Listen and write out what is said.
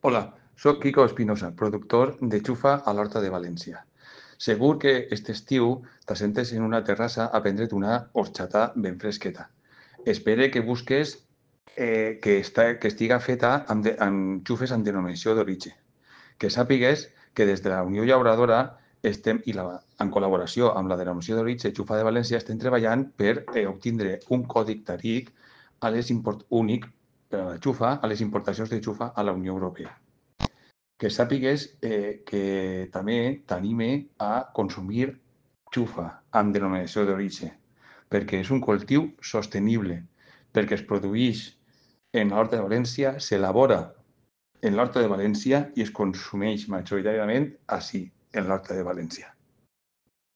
Hola, soc Quico Espinosa, productor de Xufa a l'Horta de València. Segur que aquest estiu t'assentes en una terrassa a prendre't una horxata ben fresqueta. Espere que busques que estiga feta amb xufes amb denominació d'origen. Que sàpigues que des de la Unió Llauradora en col·laboració amb la denominació d'origen Xufa de València estem treballant per obtindre un còdic TARIC únic per a la xufa a les importacions de xufa a la Unió Europea. Que sàpigues que també t'anime a consumir xufa amb denominació d'origen, perquè és un cultiu sostenible, perquè es produeix en l'Horta de València, s'elabora en l'Horta de València i es consumeix majoritàriament ací, en l'Horta de València.